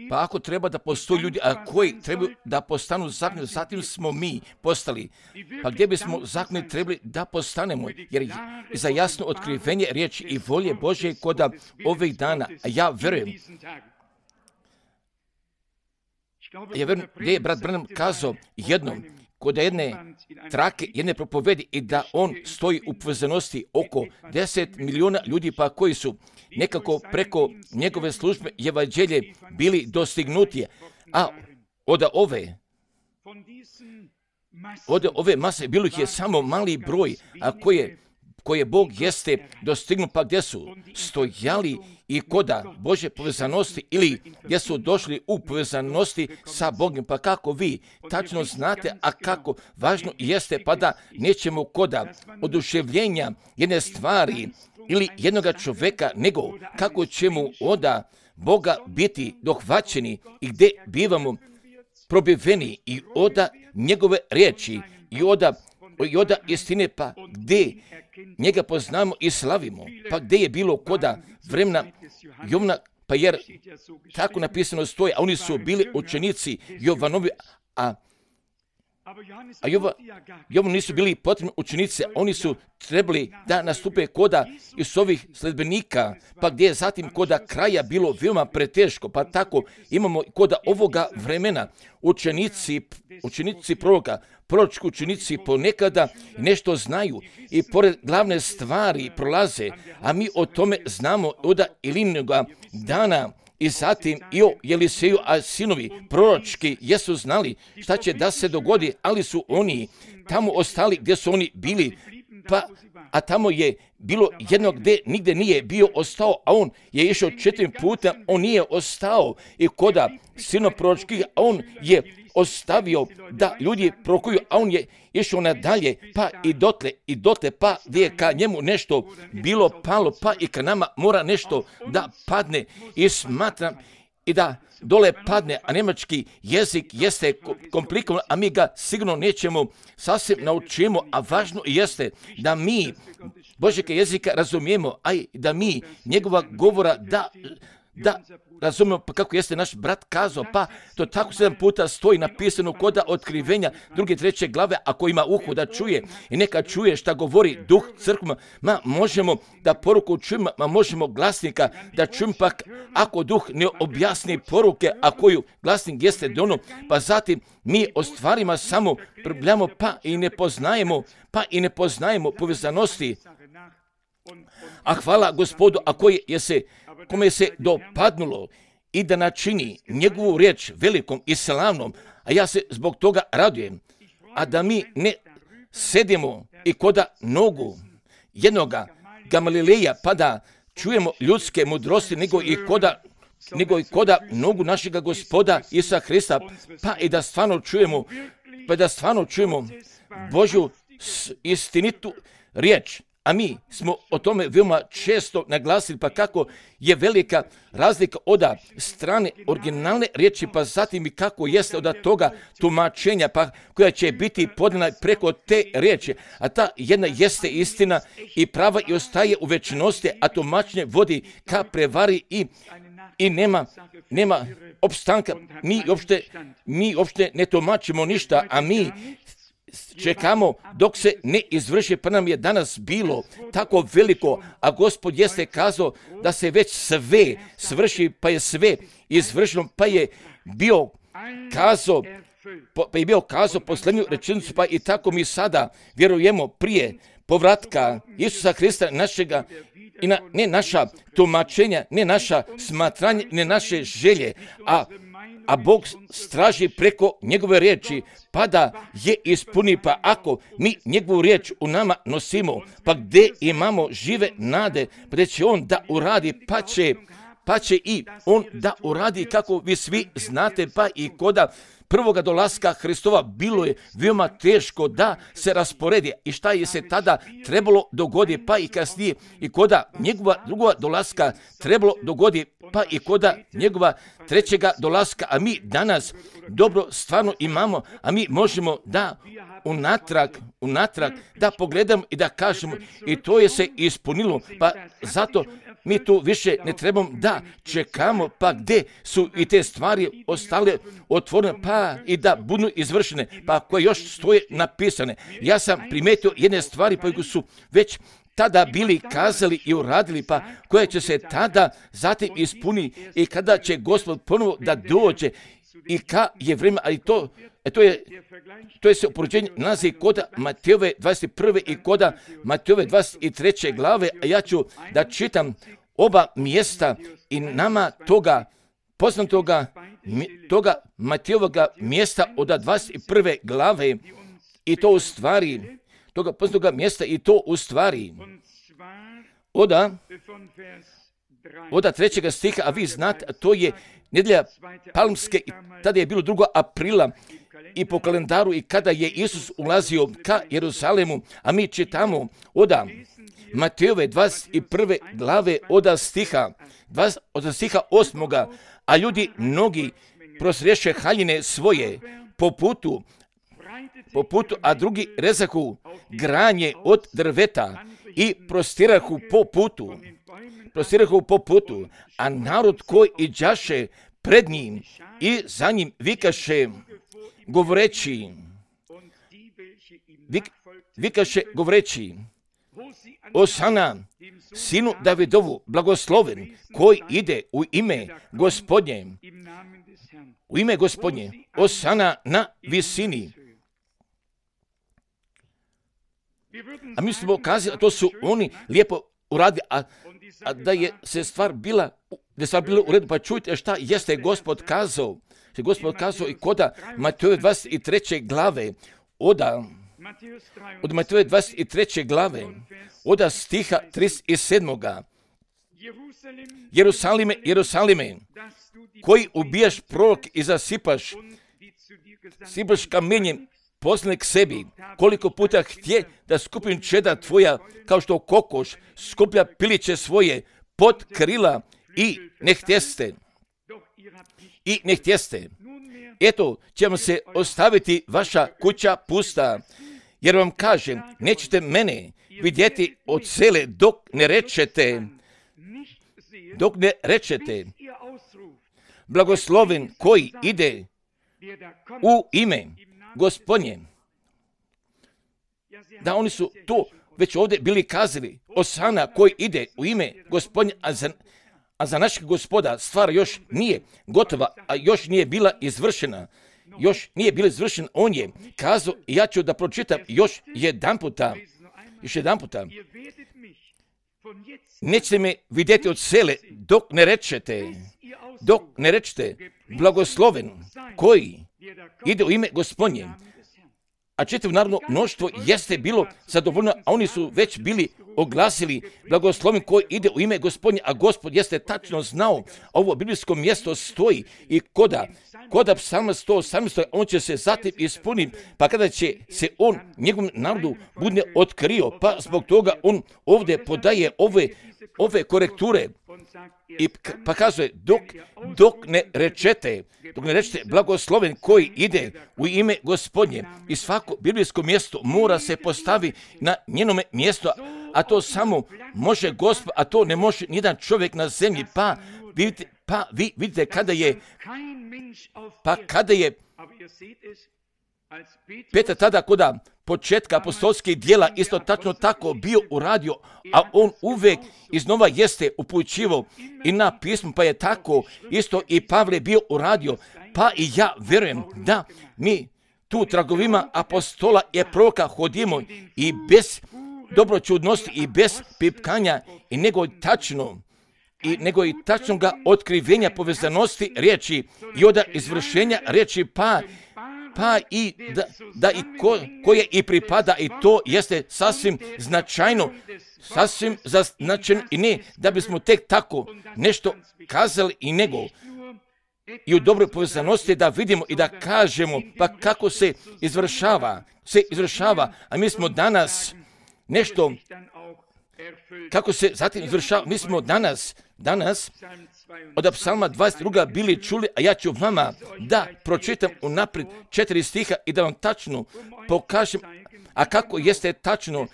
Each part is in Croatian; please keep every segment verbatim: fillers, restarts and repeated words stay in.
Pa ako treba da postoji ljudi, a koji trebaju da postanu zakoniti, zatim smo mi postali. Pa gdje bismo zakoniti trebali da postanemo? Jer za jasno otkrivenje riječi i volje Božje kod ovih dana, a ja verujem, ja verujem gdje je brat Branham kazao jednom, kod jedne trake, jedne propovedi i da on stoji u povezanosti oko deset miliona ljudi pa koji su nekako preko njegove službe evanđelje bili dostignuti, a od ove od ove mase bilo ih je samo mali broj, a koje koje Bog jeste dostignu, pa gdje su stojali i koda Božje povezanosti ili gdje su došli u povezanosti sa Bogom. Pa kako vi tačno znate, a kako važno jeste, pa da nećemo koda oduševljenja jedne stvari ili jednoga čovjeka, nego kako ćemo oda Boga biti dohvaćeni i gdje bivamo probiveni i oda njegove riječi i oda, i oda istine, pa gdje njega poznamo i slavimo, pa gdje je bilo koda vremena Jovna, pa jer tako napisano stoji, a oni su bili učenici Jovanovi, a A Jova, Jovu nisu bili potrebni učenici, oni su trebali da nastupe koda iz ovih sledbenika, pa gdje je zatim koda kraja bilo veoma preteško, pa tako imamo koda ovoga vremena učenici, učenici proroka, proročki učenici ponekada nešto znaju i pored glavne stvari prolaze, a mi o tome znamo od Ilinoga dana. I zatim i o Jeliseju, a sinovi proročki jesu znali šta će da se dogodi, ali su oni tamo ostali gdje su oni bili, pa, a tamo je bilo jedno gdje nigdje nije bio ostao, a on je išao četiri puta, on nije ostao i koda sino proročkih, a on je ostavio da ljudi prokuju, a on je išao nadalje, pa i dotle, i dotle, pa gdje je ka njemu nešto bilo palo, pa i ka nama mora nešto da padne i smatram i da dole padne, a njemački jezik jeste komplikovan, a mi ga sigurno nećemo sasvim naučimo, a važno jeste da mi Božjeg jezika razumijemo, a i da mi njegova govora da da razumijemo, pa kako jeste naš brat kazao, pa to tako sedam puta stoji napisano koda otkrivenja druge, treće glave, ako ima uho da čuje i neka čuje šta govori duh crkvama, ma možemo da poruku čujemo, ma možemo glasnika da čujemo, pa ako duh ne objasni poruke, a koju glasnik jeste dono, pa zatim mi o stvarima samo probljamo, pa i ne poznajemo, pa i ne poznajemo povezanosti. A hvala Gospodu, a koji je se kome se dopadnulo i da načini njegovu riječ velikom i slavnom, a ja se zbog toga radujem, a da mi ne sedimo i koda nogu jednoga Gamalileja, pa da čujemo ljudske mudrosti, nego i koda, nego i koda nogu našega Gospoda Isusa Hrista, pa i da stvarno čujemo, pa da stvarno čujemo Božju istinitu riječ. A mi smo o tome veoma često naglasili, pa kako je velika razlika od strane originalne riječi, pa zatim i kako jeste od toga tumačenja, pa koja će biti podana preko te riječi. A ta jedna jeste istina i prava i ostaje u večnosti, a tumačenje vodi ka prevari i, i nema, nema opstanka. Mi uopšte, mi uopšte ne tumačimo ništa, a mi čekamo dok se ne izvrši, pa nam je danas bilo tako veliko, a Gospod jeste kazao da se već sve svrši, pa je sve izvršeno, pa je bio kazao, pa je bio kazao posljednju rečenicu, pa i tako mi sada vjerujemo prije povratka Isusa Hrista našega, i na, ne naša tumačenja, ne naša smatranja, ne naše želje, a a Bog straži preko njegove riječi, pa da je ispuni, pa ako mi njegovu riječ u nama nosimo, pa gdje imamo žive nade, pa da će on da uradi, pa će, pa će i on da uradi, kako vi svi znate, pa i koda prvoga dolaska Hristova bilo je veoma teško da se rasporedi i šta je se tada trebalo dogodi, pa i kasnije i koda njegova drugova dolaska trebalo dogodi, pa i koda njegova trećega dolaska, a mi danas dobro stvarno imamo, a mi možemo da unatrag, unatrag da pogledamo i da kažemo i to je se ispunilo, pa zato mi tu više ne trebamo da čekamo, pa gdje su i te stvari ostale otvorene, pa i da budu izvršene, pa koje još stoje napisane. Ja sam primijetio jedne stvari koje su već tada bili kazali i uradili, pa koje će se tada zatim ispuniti i kada će Gospod ponovo da dođe i ka je vrijeme, ali to, to je to je se upoređenje nalazi kod Matejove dvadeset prve i kod Matejove dvadeset treće glave, a ja ću da čitam oba mjesta i nama toga poznatoga toga Matejovoga mjesta od dvadeset prve glave i to u stvari toga poznatoga mjesta i to u stvari oda oda trećega stiha, a vi znate, to je nedjelja Palmske, tada je bilo drugog aprila i po kalendaru i kada je Isus ulazio ka Jeruzalemu, a mi čitamo oda Matejove dvadeset prve glave oda stiha, od stiha osmoga, a ljudi mnogi prosriješe haljine svoje po putu, po putu, a drugi rezahu granje od drveta i prostirahu po putu, prostirahu po putu, a narod koji iđaše pred njim i za njim vikaše govoreći, vik, vikaše govoreći, Osana, sinu Davidovu, blagosloven, koji ide u ime Gospodnje, u ime Gospodnje, Osana na visini. A mi smo kazali, a to su oni lijepo uradili, a, a da je se stvar bila, da je stvar bila u redu, pa čujte šta jeste Gospod kazao. Što je Gospod kazao i koda Matejove dvadeset treće glave, oda, od Matejove dvadeset treće glave, oda stiha trideset sedam. Jerusalime, Jerusalime, koji ubijaš prorok i zasipaš, sipaš kamenjem poslane k sebi, koliko puta htje da skupim čeda tvoja, kao što kokoš skuplja piliće svoje pod krila i ne htjeste. I ne htjeste. Eto, će vam se ostaviti vaša kuća pusta, jer vam kažem, nećete mene vidjeti od sele dok ne rečete, dok ne rečete, blagosloven koji ide u ime Gospodnje. Da, oni su to već ovdje bili kazali, Osana koji ide u ime Gospodnje, a za, a za našeg Gospoda stvar još nije gotova, a još nije bila izvršena. Još nije bila izvršena, on je kazao, i ja ću da pročitam još jedan puta, još jedan puta. Nećete me vidjeti od sele dok ne rečete, dok ne rečete, blagosloven koji ide u ime Gospodnje. A čitav narodno mnoštvo jeste bilo zadovoljno, a oni su već bili oglasili blagosloven koji ide u ime Gospodnje, a Gospod jeste tačno znao, ovo biblijsko mjesto stoji i koda, koda psalma sto osamnaest, on će se zatim ispuniti, pa kada će se on njegovom narodu bude otkrio, pa zbog toga on ovdje podaje ove, ove korekture i pa kazuje, dok, dok ne rečete, dok ne rečete blagosloven koji ide u ime Gospodnje, i svako biblijsko mjesto mora se postavi na njenome mjestu, a to samo može Gospod, a to ne može nijedan čovjek na zemlji, pa vidite, pa vi vidite kada je, pa kada je Petar tada koda početka apostolskih djela isto tačno tako bio uradio, a on uvijek iznova jeste upućivao i na pismu, pa je tako isto i Pavle bio uradio, pa i ja vjerujem da mi tu tragovima apostola i proroka hodimo i bez dobroćudnosti i bez pipkanja i nego tačno i nego i tačnoga otkrivenja povezanosti riječi i od izvršenja riječi, pa pa i da, da i ko, koje i pripada, i to jeste sasvim značajno, sasvim značajno, i ne da bismo tek tako nešto kazali i nego i u dobroj povezanosti da vidimo i da kažemo pa kako se izvršava, se izvršava, a mi smo danas nešto, kako se zatim izvršava, mi smo danas, danas od psalma dvadeset dva bili čuli, a ja ću vama da pročitam unaprijed četiri stiha i da vam tačno pokažem, a kako jeste tačno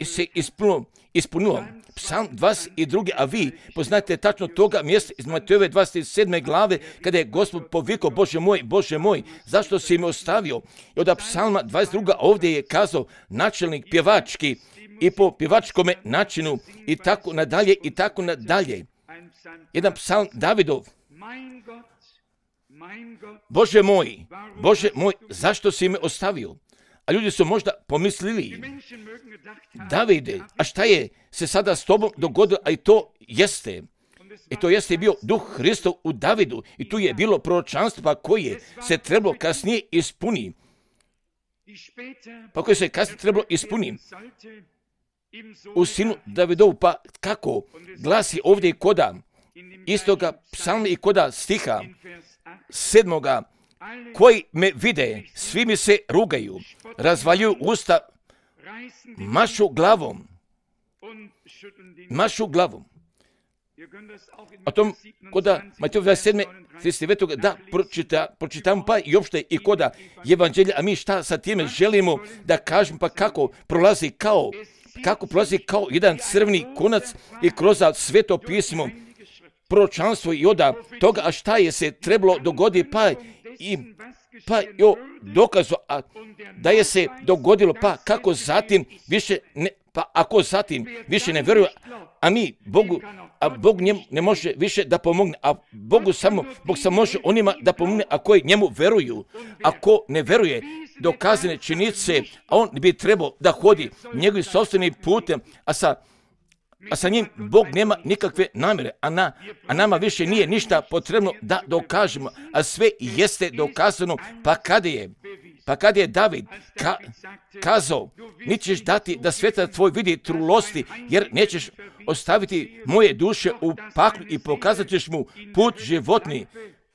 se ispunilo, ispunilo. Psalm dvadeset dva, a vi poznate tačno toga mjesta iz Matejove dvadeset sedme glave, kada je Gospod povikao, Bože moj, Bože moj, zašto si me ostavio? I od psalma dvadeset dva ovdje je kazao načelnik pjevački i po pjevačkome načinu i tako nadalje i tako nadalje. Jedan psalm Davidov. Bože moj, Bože moj, zašto si me ostavio? A ljudi su možda pomislili, Davide, a šta je se sada s tobom dogodilo? A i to jeste. I to jeste bio duh Hristov u Davidu. I tu je bilo proročanstvo pa koje se trebalo kasnije ispuni. Pa koje se kasnije trebalo ispuni. U sinu Davidovu, pa kako glasi ovdje i koda istoga psalma i koda stiha sedmoga, koji me vide, svi mi se rugaju, razvaljuju usta, mašu glavom, mašu glavom. O tom koda Matejove dvadeset sedme trideset devet da pročita, pročitamo pa i opšte i koda evanđelja, a mi šta sa time želimo da kažemo, pa kako prolazi kao, kako prolazi kao jedan crveni konac i kroz sveto pismo, proročanstvo i oda toga, a šta je se trebalo dogoditi, pa i pa jo dokazu, a da je se dogodilo, pa kako zatim više ne, pa ako zatim više ne vjeruje, a mi Bogu, a Bog njemu ne može više da pomogne, a Bogu samo, Bog samo može onima da pomogne, a koji njemu veruju. Ako ne veruje dokazane činjenice, a on bi trebao da hodi njegovim sopstvenim putem, a sa a sa njim Bog nema nikakve namjere, a, na, a nama više nije ništa potrebno da dokažemo, a sve jeste dokazano, pa kada je, pa kada je David ka, kazao, nećeš dati da sveta tvoj vidi trulosti, jer nećeš ostaviti moje duše u paklu i pokazat ćeš mu put životni,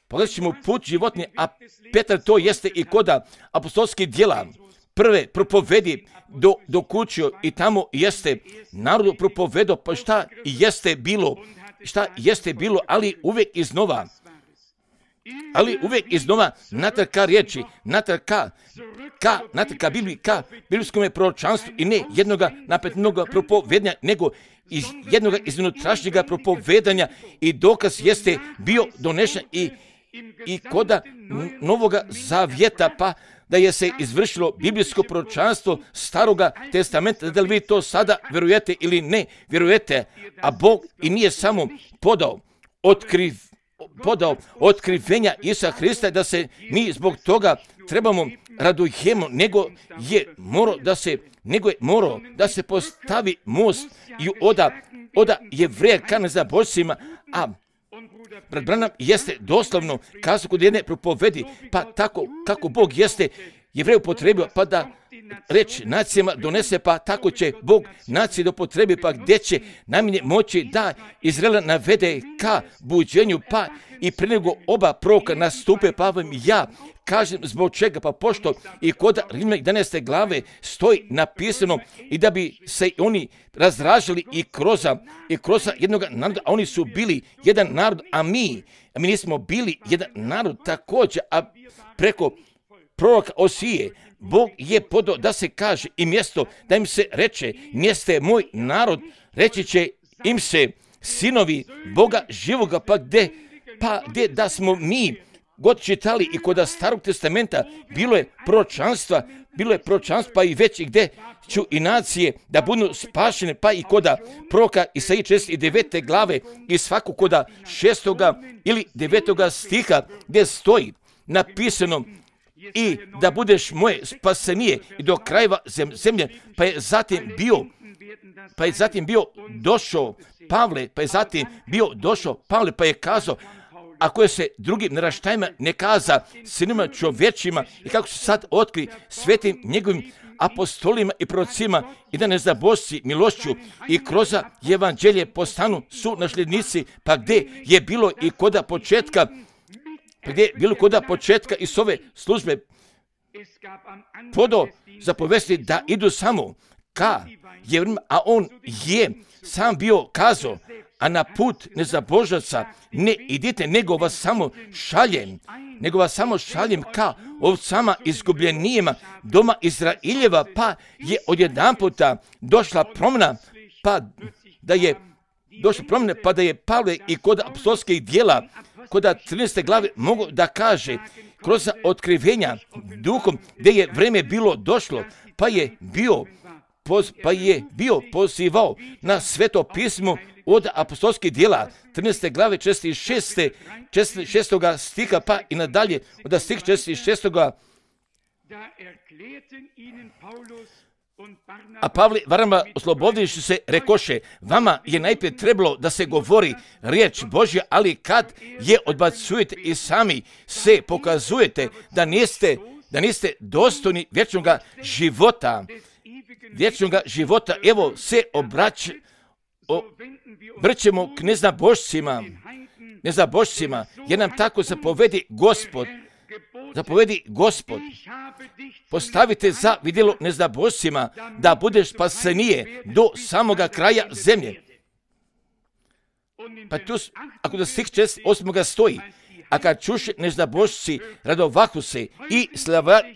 pokazat ćeš mu put životni, a Petar to jeste i koda apostolskih djela, prve propovedi do, do kućio i tamo jeste narodu propovedo, pa šta jeste bilo, šta jeste bilo, ali uvijek iznova, ali uvijek iznova natrag ka riječi, natrag ka, ka, natrag ka Bibliji, ka biblijskom proročanstvu i ne jednoga napetnog propovedanja, nego iz jednoga iznutrašnjega propovedanja i dokaz jeste bio donešen i, i koda Novoga Zavjeta, pa da je se izvršilo biblijsko proročanstvo Staroga testamenta, da li vi to sada vjerujete ili ne vjerujete, a Bog i nije samo podao, otkriv, podao otkrivenja Isusa Hrista, da se mi zbog toga trebamo radujemo, nego je morao da se, nego je morao da se postavi most i oda, oda Jevreja ka nezabožcima, a brat Branham jeste doslovno kazao kod jedne propovedi, pa tako kako Bog jeste Jevreju potrebio, pa da reč nacijama donese, pa tako će Bog nacije do potrebi, pa gdje će najmanje moći da Izraela navede ka buđenju, pa i pre nego oba proroka nastupe, pa vam ja kažem zbog čega, pa pošto i kod Rimljana jedanaeste glave stoji napisano i da bi se oni razražili i kroz, i kroz jednog naroda, a oni su bili jedan narod, a mi, a mi nismo bili jedan narod također, a preko proroka Osije, Bog je podao da se kaže i mjesto, da im se reče, mjeste moj narod, reći će im se sinovi Boga živoga, pa gdje, pa gdje da smo mi god čitali i kod Starog testamenta, bilo je proročanstva, bilo je proročanstva, pa i već i gdje ću i nacije da budu spašene, pa i koda proroka Isaije četrdeset devete glave i svaku koda šestoga ili devetoga stiha gdje stoji napisano i da budeš moje spasenije i do krajeva zemlje, pa je zatim bio, pa je zatim bio došao Pavle, pa je zatim bio došao Pavle, pa je kazao, ako je se drugim naraštajima ne kaza sinima čovječima i kako se sad otkri svetim njegovim apostolima i prorocima i da nezabožci milošću i kroz evanđelje postanu su nasljednici, pa gdje je bilo i koda početka, pa gdje je bilo koda početka i s ove službe podao zapovesti da idu samo ka Jevrima, a on je sam bio kazao, a na put nezabožaca ne idite, nego vas samo šaljem, nego vas samo šaljem ka ovcama izgubljenijima doma Izraeljeva, pa je odjedanputa došla promjena, pa da je došla promjena, pa da je Pavle i kod apostolskih djela, kod trinaeste glave mogu da kaže, kroz otkrivenja duhom, gdje je vreme bilo došlo, pa je bio, poz, pa je bio pozivao na sveto pismo od apostolskih djela, trinaeste glave, četrdeset šest stiha, pa i nadalje, od stih četrdeset šest. A Pavle Varnaba oslobodivši se rekoše, vama je najprije trebalo da se govori riječ Božja, ali kad je odbacujete i sami se pokazujete da niste, da niste dostojni vječnog života, vječnog života, evo se obrać, obrćemo k neznabošcima, neznabošcima, jer nam tako zapovedi Gospod, zapovedi Gospod, postavite za vidjelo neznabošcima, da budeš spasenije do samoga kraja zemlje. Pa tu, ako da stih četrdeset osam stoji, a kad čuše neznabošci radovahu se i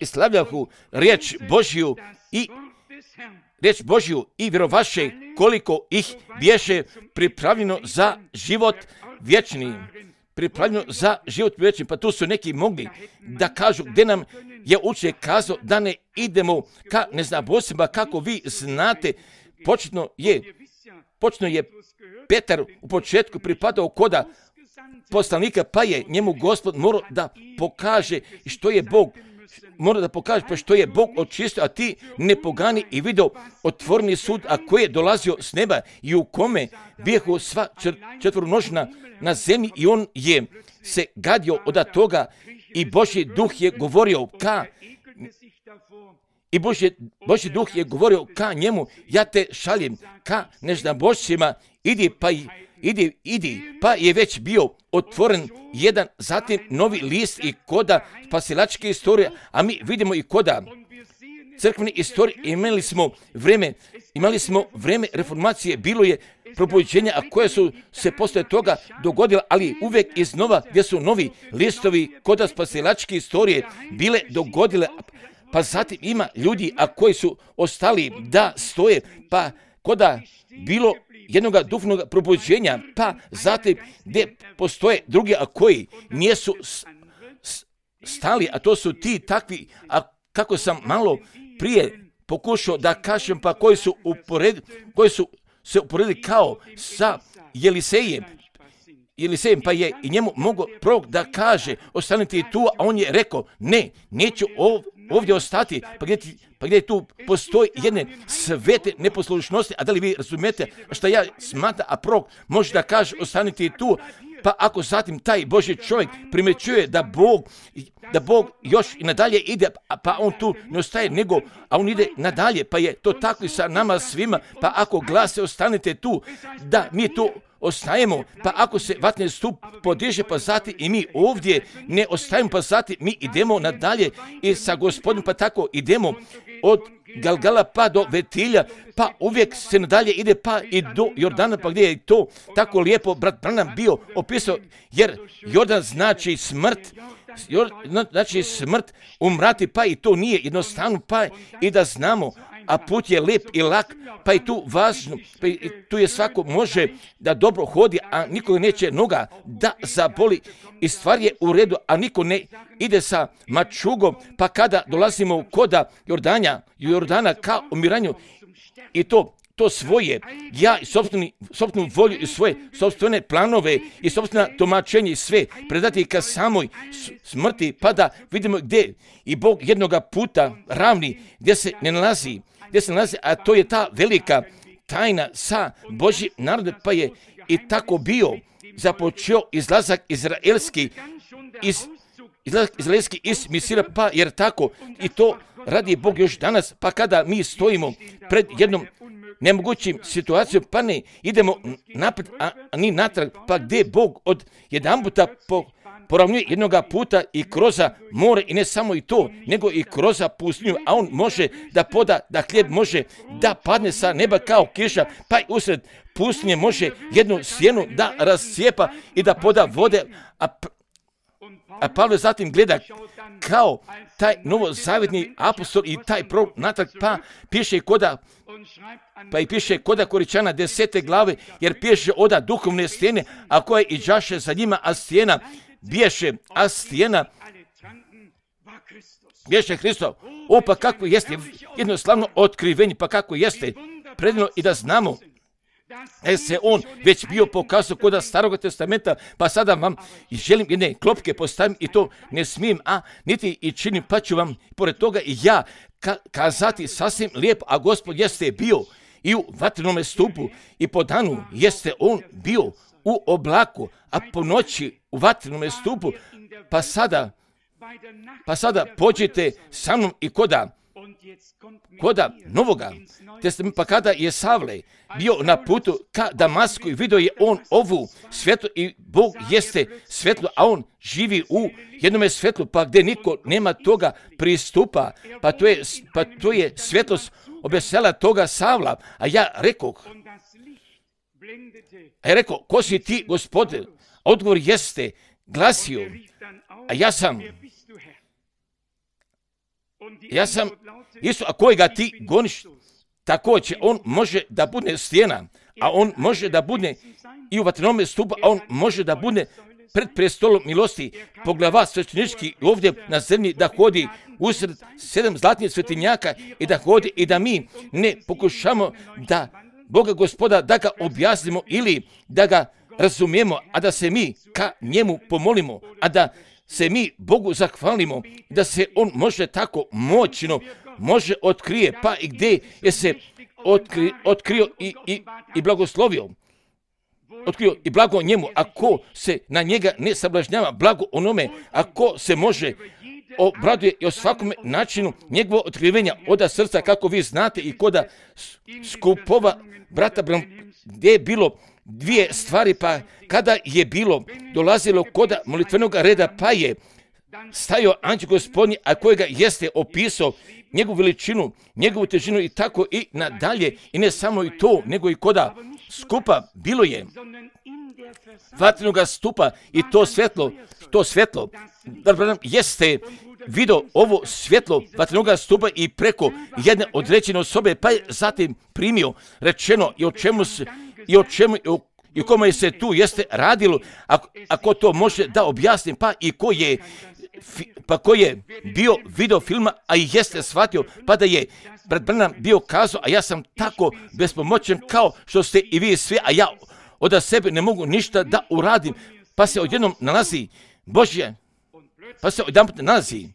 slavljahu riječ Božju i riječ Božju i vjerovaše koliko ih bješe pripravljeno za život vječni. Pripravljeno za život vječni. Pa tu su neki mogli da kažu gdje nam je učenik kazao da ne idemo ka neznabošcima, kako vi znate, početno je, početno je Petar u početku pripadao koda poslanika, pa je njemu Gospod morao da pokaže što je Bog, mora da pokaže pa što je Bog očistio, a ti ne pogani i vidio otvoreni sud, a koji je dolazio s neba i u kome bijehu sva četvrnožna na zemlji i on je se gadio od toga i Božji duh je govorio ka i Božji, Božji duh je govorio ka njemu, ja te šaljem ka neznabošcima, idi pa idi, idi, pa je već bio otvoren jedan, zatim novi list i koda spasilačke istorije, a mi vidimo i koda crkvene istorije, imali smo vreme, imali smo vreme reformacije, bilo je probuđenja, a koje su se posle toga dogodila, ali uvijek iznova gdje su novi listovi koda spasilačke istorije bile dogodile, pa zatim ima ljudi, a koji su ostali da stoje, pa koda bilo jednoga duhovnog probuđenja, pa zatim gdje postoje drugi, a koji nisu stali, a to su ti takvi, a kako sam malo prije pokušao da kažem, pa koji su, upored, koji su se uporedili kao sa Jelisejem, Jelisejem, pa je i njemu mogao prorok da kaže, ostanite tu, a on je rekao, ne, neću ovdje ostati, pa gdje, pa gdje tu postoji jedne svete neposlušnosti, a da li vi razumijete što ja smatram, a prorok može da kaže, ostanite tu, pa ako zatim taj Božji čovjek primjećuje da Bog, da Bog još i nadalje ide, pa on tu ne ostaje, nego, a on ide nadalje, pa je to tako i sa nama svima, pa ako glase ostanite tu, da mi tu ostajemo, pa ako se vatni stup podiže, pa zatim i mi ovdje ne ostajemo, pa zatim mi idemo nadalje i sa Gospodinom, pa tako idemo od Galgala pa do Vetilja, pa uvijek se nadalje ide pa i do Jordana, pa gdje je to tako lijepo brat Branham bio opisao, jer Jordan znači smrt, Jordan znači smrt, umrati, pa i to nije jednostavno, pa i da znamo, a put je lijep i lak, pa i tu važno, pa i tu je svako može da dobro hodi, a nikoga neće noga da zaboli i stvar je u redu, a niko ne ide sa mačugom, pa kada dolazimo koda Jordanja, Jordana ka umiranju i to to svoje, ja i sopstvenu volju i svoje sopstvene planove i sopstvena tumačenja i sve predati ka samoj smrti, pa da vidimo gdje i Bog jednoga puta ravni, gdje se ne nalazi, gdje se nalazi, a to je ta velika tajna sa Božjim narodom, pa je i tako bio započeo izlazak izraelski iz izlazak izraelski iz Misira, pa jer tako i to radi Bog još danas, pa kada mi stojimo pred jednom nemogućim situacijom, pa ne idemo napred, a, a ni natrag, pa gdje Bog od jedan puta po, poravnjuje jednoga puta i kroz more, i ne samo i to, nego i kroz pustinju, a on može da poda, da hljeb može da padne sa neba kao kiša, pa i usred pustinje može jednu sjenu da rascijepa i da poda vode, a A Pavle zatim gleda kao taj novozavjetni apostol i taj prorok natrag, pa piše koda, pa i piše koda Koričana desete glave, jer piše oda duhovne stijene, a koje i đaše za njima, a stijena biješe, a stijena biješe Hristo. O, pa kako jeste jednostavno otkrivenje, pa kako jeste predivno i da znamo da se on već bio pokazao koda Starog testamenta, pa sada vam želim jedne klopke postavim i to ne smijem, a niti i činim, pa ću vam pored toga i ja ka- kazati sasvim lijepo, a Gospod jeste bio i u vatrenome stupu i po danu jeste on bio u oblaku, a po noći u vatrenome stupu, pa sada, pa sada pođite sa mnom i koda koda Novoga testamenta, pa kada je Savle bio na putu ka Damasku i vidio je on ovu svjetlo i Bog jeste svjetlo, a on živi u jednome svjetlu, pa gdje niko nema toga pristupa, pa to je, pa to je svjetlost obesela toga Savla, a ja rekoh, a ja rekao, ko si ti, Gospode? Odgovor jeste glasio, a ja sam Ja sam Isus, a kojega ti goniš, također on može da bude stijena, a on može da bude i u vatrenome stupu, a on može da bude pred prestolom milosti, poglava svećenički ovdje na zemlji, da hodi usred sedam zlatnih svetinjaka i da hodi i da mi ne pokušamo da Boga Gospoda da ga objasnimo ili da ga razumijemo, a da se mi ka njemu pomolimo, a da se mi Bogu zahvalimo, da se on može tako moćno, može otkrije, pa i gdje je se otkri, otkrio i, i, i blagoslovio. Otkrio i blago njemu, ako se na njega ne sablažnjava, blago onome, ako se može obraduje i o svakome načinu njegovo otkrivenja oda srca, kako vi znate i koda skupova brata Bram, gdje je bilo dvije stvari, pa kada je bilo dolazilo koda molitvenog reda, pa je stajao anđel Gospodnji, a kojega jeste opisao njegovu veličinu, njegovu težinu i tako i nadalje, i ne samo i to, nego i koda skupa bilo je vatrenoga stupa i to svjetlo, to svjetlo, da jeste vidio ovo svjetlo vatrenoga stupa i preko jedne određene osobe, pa je zatim primio rečeno i o čemu se, i o čemu, i o, i o kome se tu jeste radilo, ako, ako to može da objasnim, pa i ko je, pa ko je bio video filma, a i jeste shvatio, pa da je brat Branham bio kazao, a ja sam tako bespomoćen kao što ste i vi svi, a ja od sebe ne mogu ništa da uradim, pa se odjednom nalazi Božje, pa se odjedanput nalazi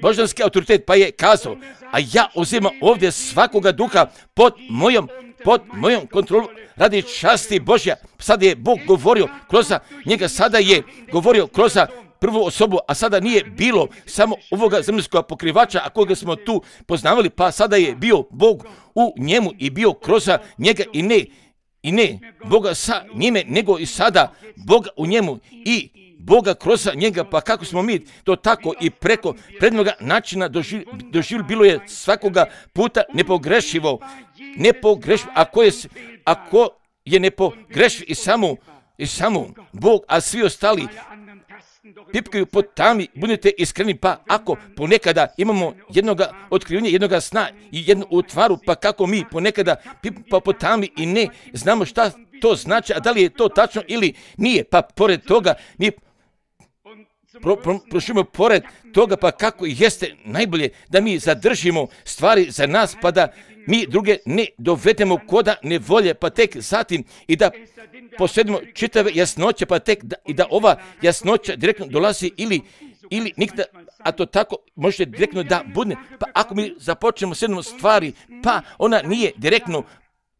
božanski autoritet, pa je kazao, a ja uzimam ovdje svakoga duha pod mojom, pod mojom kontrolom radi časti Božja. Sada je Bog govorio kroz njega, sada je govorio kroz prvu osobu, a sada nije bilo samo ovoga zemaljskog pokrivača, a koga smo tu poznavali, pa sada je bio Bog u njemu i bio kroz njega i ne, i ne Boga sa njime, nego i sada Boga u njemu i Boga kroz njega, pa kako smo mi to tako i preko prednoga načina doživjeli, doživjeli bilo je svakoga puta nepogrešivo, nepogrešivo, ako je, ako je nepogrešiv i samo, i samo Bog, a svi ostali pipkaju po tami, budite iskreni, pa ako ponekada imamo jednoga otkrivanja, jednoga sna i jednu utvaru, pa kako mi ponekada pipamo po tami i ne znamo šta to znači, a da li je to tačno ili nije, pa pored toga mi Pro, pro, prošimo pored toga, pa kako jeste najbolje da mi zadržimo stvari za nas, pa da mi druge ne dovedemo koda nevolje, pa tek zatim i da posjedimo čitave jasnoće, pa tek da, i da ova jasnoća direktno dolazi ili, ili nikada, a to tako može direktno da bude, pa ako mi započnemo s jednom stvari, pa ona nije direktno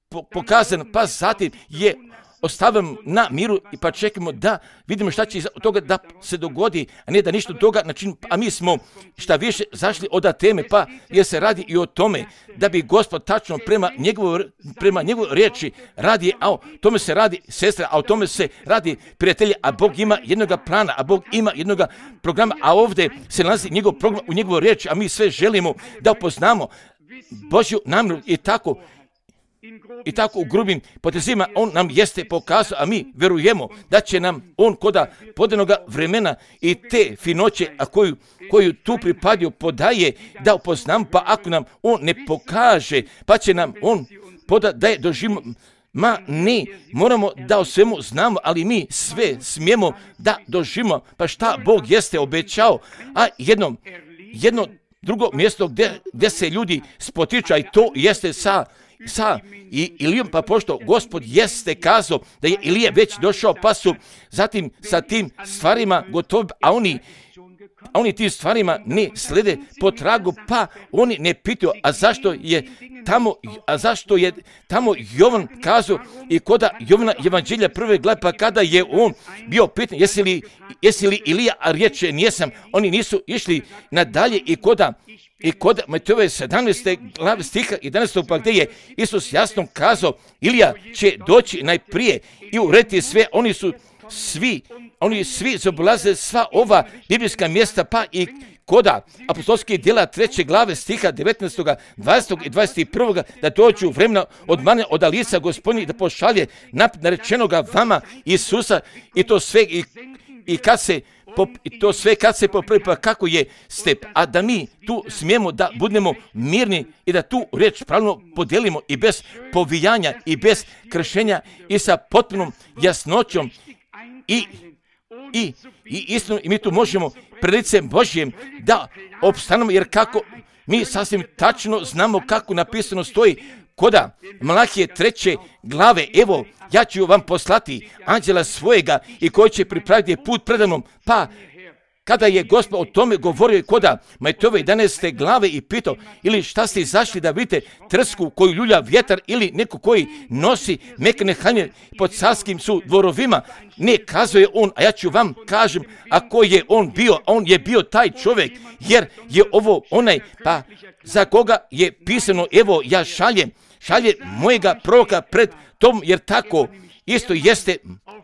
po, pokazana, pa zatim je ostavimo na miru i pa čekamo da vidimo šta će od toga da se dogodi, a ne da ništa od toga način, a mi smo šta više zašli od teme, pa jer se radi i o tome da bi Gospod tačno prema njegovoj prema njegovoj riječi radi, a o tome se radi sestra, a o tome se radi prijatelji, a Bog ima jednoga plana, a Bog ima jednoga programa, a ovdje se nalazi njegov program u njegovoj riječi, a mi sve želimo da upoznamo Božju namjeru i tako i tako u grubim potezima on nam jeste pokazao, a mi verujemo da će nam on koda podanoga vremena i te finoće, a koju, koju tu pripadio podaje, da upoznam, pa ako nam on ne pokaže, pa će nam on poda da je doživimo. Ma ne, moramo da o svemu znamo, ali mi sve smijemo da doživimo. Pa šta Bog jeste obećao, a jedno, jedno drugo mjesto gdje, gdje se ljudi spotiču, i to jeste sa, sa i Ilijom, pa pošto Gospod jeste kazao da je Ilija već došao, pa su zatim sa tim stvarima gotovi, a oni a oni tim stvarima ne slede po tragu, pa oni ne pitaju, a zašto je tamo, a zašto je tamo Jovan kazao i koda Jovana evanđelja prve glave, pa kada je on bio pitan, jesi li, jesi li Ilija, a riječe nijesam, oni nisu išli nadalje i koda I kod Matejove sedamnaeste glave stiha jedanaestog pa gdje je Isus jasno kazao, Ilija će doći najprije i urediti sve, oni su svi, oni svi zaobilaze sva ova biblijska mjesta, pa i koda apostolskih djela treće glave stiha devetnaestog, dvadesetog i dvadeset prvog da dođu vremena od mane od lica Gospodnjeg da pošalje naprijed narečenoga vama Isusa i to sve i, i kad se I to sve kad se popravi, pa kako je step, a da mi tu smijemo da budemo mirni i da tu riječ pravilno podijelimo i bez povijanja i bez kršenja i sa potpunom jasnoćom i, i, i istinom, i mi tu možemo pred licem Božjem da opstanemo, jer kako mi sasvim tačno znamo kako napisano stoji koda Malahije treće glave, evo ja ću vam poslati anđela svojega i koji će pripraviti put predamnom. Pa kada je Gospod o tome govorio koda Matejove jedanaeste glave i pitao, ili šta ste izašli da vidite trsku koju ljulja vjetar ili neko koji nosi mekane haljine pod carskim su dvorovima, ne kazuje on, a ja ću vam kažem ako je on bio, on je bio taj čovjek, jer je ovo onaj, pa za koga je pisano, evo ja šaljem, šalje mojega proroka pred tom, jer tako isto jeste,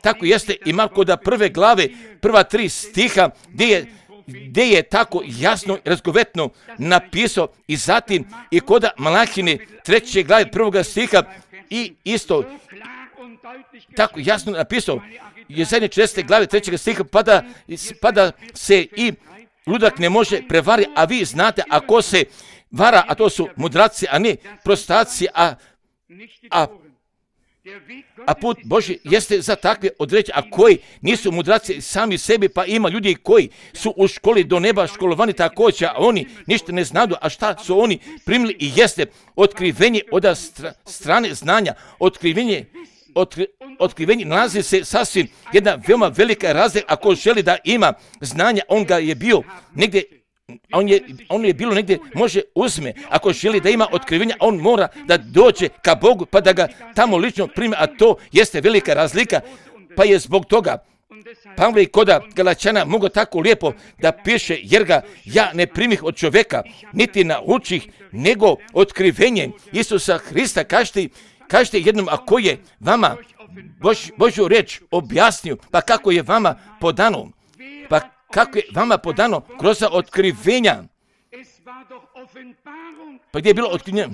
tako jeste i Marko da prve glave, prva tri stiha, gdje je, gdje je tako jasno i razgovetno napisao i zatim i koda Malahine treće glave prvoga stiha i isto tako jasno napisao je zadnje četrdeset glave trećeg stiha, pa da, pa da se i ludak ne može prevariti, a vi znate ako se vara, a to su mudraci, a ne prostaci, a, a, a put Božji jeste za takve određe, a koji nisu mudraci sami sebi, pa ima ljudi koji su u školi do neba školovani također, a oni ništa ne znaju, a šta su oni primili i jeste otkrivenje od stra, strane znanja, otkrivenje, otkri, otkrivenje nalazi se sasvim jedna veoma velika razlika, ako želi da ima znanja, on ga je bio negdje, On je, on je bilo negdje, može uzme, ako želi da ima otkrivenja, on mora da dođe ka Bogu, pa da ga tamo lično prime, a to jeste velika razlika, pa je zbog toga Pavle i koda Galačana mogu tako lijepo da piše, jer ga ja ne primih od čovjeka, niti naučih, nego otkrivenjem Isusa Hrista, kažete, kažete jednom, ako je vama Bož, Božju riječ objasnio, pa kako je vama podano, pa kako je vama podano kroz otkrivenja. Pa gdje je bilo otkrivenja?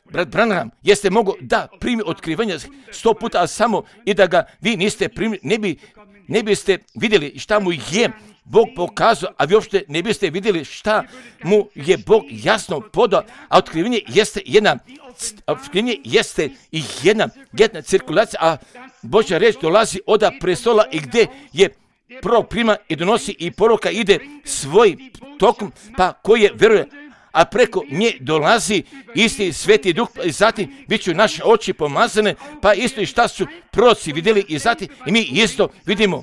Brat Branham jeste mogo da primi otkrivenja sto puta, a samo i da ga vi niste primili, ne, bi, ne biste vidjeli šta mu je Bog pokazao, a vi uopšte ne biste vidjeli šta mu je Bog jasno podao, a otkrivenje jeste jedna, otkrivenje jeste i jedna, jedna cirkulacija, a Božja riječ dolazi od prestola i gdje je prvo prima i donosi i poruka ide svoj tokom, pa koje vjeruje, a preko nje dolazi isti Sveti Duh i zatim bit će naše oči pomazane, pa isto i šta su proroci vidjeli i zatim i mi isto vidimo,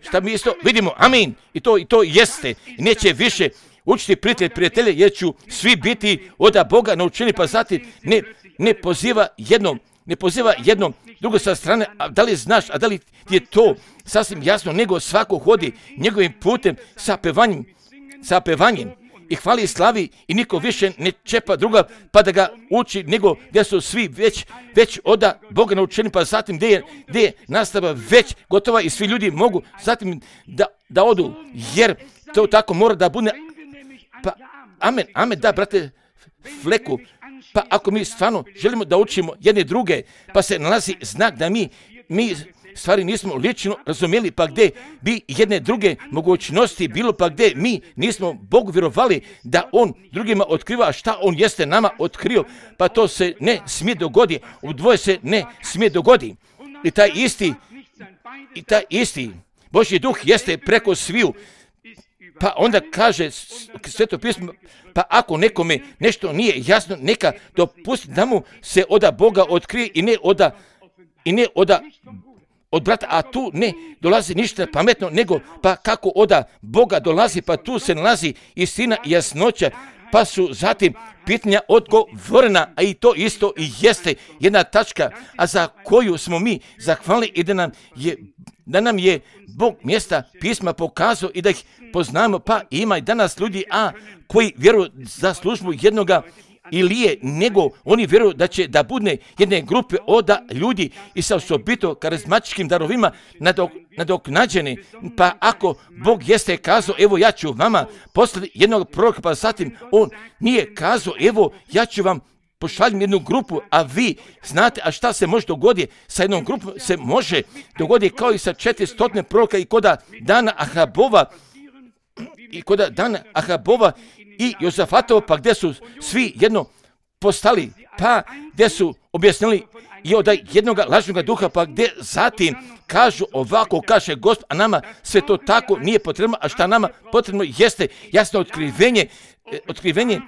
šta mi isto vidimo, amin, i to, i to jeste, i neće više učiti prijatelj prijatelje, jer ću svi biti od Boga naučeni, pa zatim ne, ne poziva jednom, ne poziva jednom drugo sa strane, a da li znaš, a da li je to sasvim jasno, nego svako hodi njegovim putem sa pevanjem, sa pevanjem i hvali i slavi i niko više ne čepa druga pa da ga uči, nego gdje su svi već, već od Boga naučeni, pa zatim gdje je, gdje je nastava već gotova i svi ljudi mogu zatim da, da odu, jer to tako mora da bude. Pa, amen, amen, da, brate Fleku, Pa ako mi stvarno želimo da učimo jedne druge, pa se nalazi znak da mi, mi stvari nismo lično razumjeli, pa gdje bi jedne druge mogućnosti bilo, pa gdje mi nismo Bogu vjerovali da On drugima otkriva šta On jeste nama otkrio, pa to se ne smije dogodi, u dvoje se ne smije dogodi. I taj isti, i taj isti Božji duh jeste preko sviju. Pa onda kaže Sveto pismo, pa ako nekome nešto nije jasno, neka dopusti da mu se oda Boga otkrije i ne oda, i ne oda od brata, a tu ne dolazi ništa pametno, nego pa kako oda Boga dolazi, pa tu se nalazi istina i jasnoća, pa su zatim pitanja odgovorena, a i to isto i jeste jedna tačka, a za koju smo mi zahvalni i da nam je, da nam je Bog mjesta pisma pokazao i da ih poznamo, pa ima i danas ljudi, a koji vjeruju za službu jednoga Ilije, nego oni vjeruju da će da budne jedne grupe oda ljudi i sa osobito karizmatičkim darovima nadok, nadoknađeni. Pa ako Bog jeste kazao, evo ja ću vama poslati jednog proroka, pa zatim on nije kazao, evo ja ću vam pošaljem jednu grupu, a vi znate, a šta se može dogoditi sa jednom grupom, se može dogoditi kao i sa četiristo proroka i koda dana Ahabova, i koda dana Ahabova i Jozafatova, pa gdje su svi jedno postali, pa gdje su objasnili i od jednog lažnog duha, pa gdje zatim kažu ovako, kaže Gospod, a nama sve to tako nije potrebno, a šta nama potrebno jeste jasno otkrivenje, otkrivenje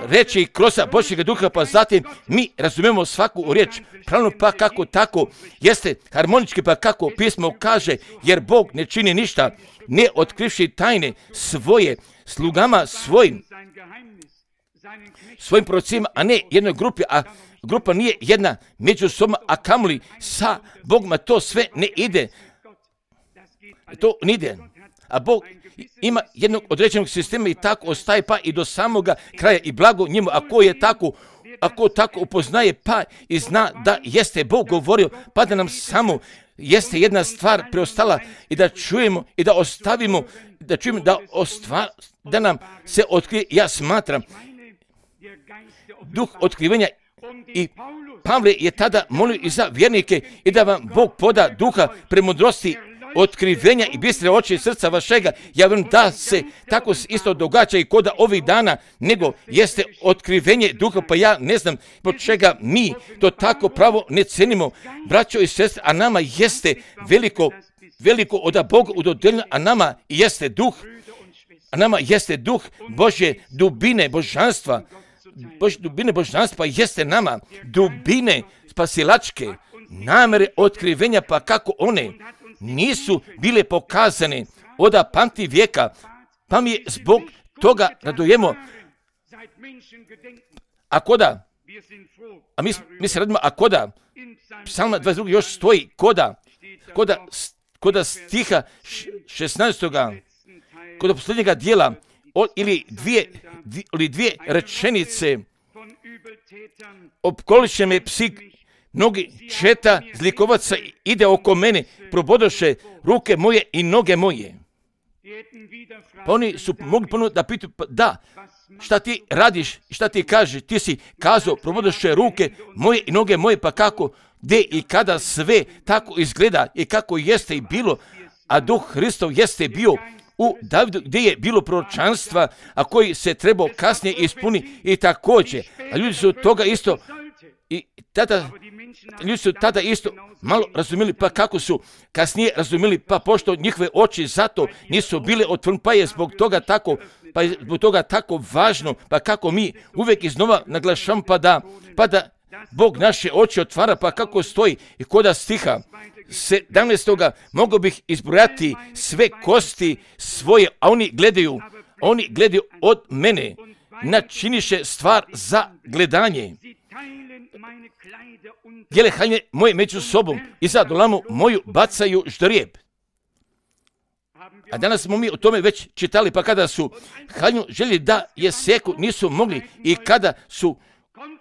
reči kroz Božjega duha, pa zatim mi razumijemo svaku riječ pravno, pa kako tako jeste harmonički, pa kako pismo kaže, jer Bog ne čini ništa ne otkrivši tajne svoje slugama svojim, svojim prorocima, a ne jednoj grupi, a grupa nije jedna međusobno, a kamoli sa Bogom, to sve ne ide. To ne ide. A Bog ima jednog određenog sistema i tako ostaje pa i do samoga kraja i blago njemu, ako je tako, ako tako upoznaje pa i zna da jeste Bog govorio, pa da nam samo jeste jedna stvar preostala i da čujemo i da ostavimo, da čujemo da, ostva, da nam se otkrije. Ja smatram duh otkrivanja i Pavle je tada molio i za vjernike i da vam Bog poda duha premudrosti, otkrivenja i bistre oči srca vašega. Ja vjerujem da se tako isto događa i koda ovih dana, nego jeste otkrivenje duha, pa ja ne znam po čega mi to tako pravo ne cenimo, braćo i sestre, a nama jeste veliko, veliko od Boga udodeljeno, a nama jeste duh, a nama jeste duh Božje dubine božanstva, Božje dubine božanstva jeste nama, dubine spasilačke, namere otkrivenja, pa kako one nisu bile pokazane od pamti vijeka, pa mi zbog toga radujemo. A koda, a mi, mi se radimo, a koda, Psalma dvadeset dva još stoji, koda, koda, koda stiha šesnaestoga, koda posljednjega dijela, ili dvije, ili dvije rečenice, opkoliše me psi, mnogi četa zlikovaca ide oko mene, probodoše ruke moje i noge moje. Pa oni su mogli ponovno da pitaju, pa da, šta ti radiš, šta ti kažeš, ti si kazao, probodoše ruke moje i noge moje, pa kako, gdje i kada sve tako izgleda i kako jeste i bilo, a Duh Hristov jeste bio u Davidu, gdje je bilo proročanstva, a koji se trebao kasnije ispuni i također. A ljudi su toga isto, i tada, ljudi su tada isto malo razumjeli, pa kako su kasnije razumjeli, pa pošto njihove oči zato nisu bile otvorene, pa je zbog toga tako, pa je zbog toga tako važno, pa kako mi uvijek iznova naglašamo, pa da, pa da Bog naše oči otvara, pa kako stoji i koda stiha sedamnaestoga mogu bih izbrojati sve kosti svoje, a oni gledaju, oni gledaju od mene, načiniše stvar za gledanje. Dijele haljine moje među sobom i za dolamu moju bacaju ždrijeb. A danas smo mi o tome već čitali, pa kada su haljinu želi da je seku, nisu mogli, i kada su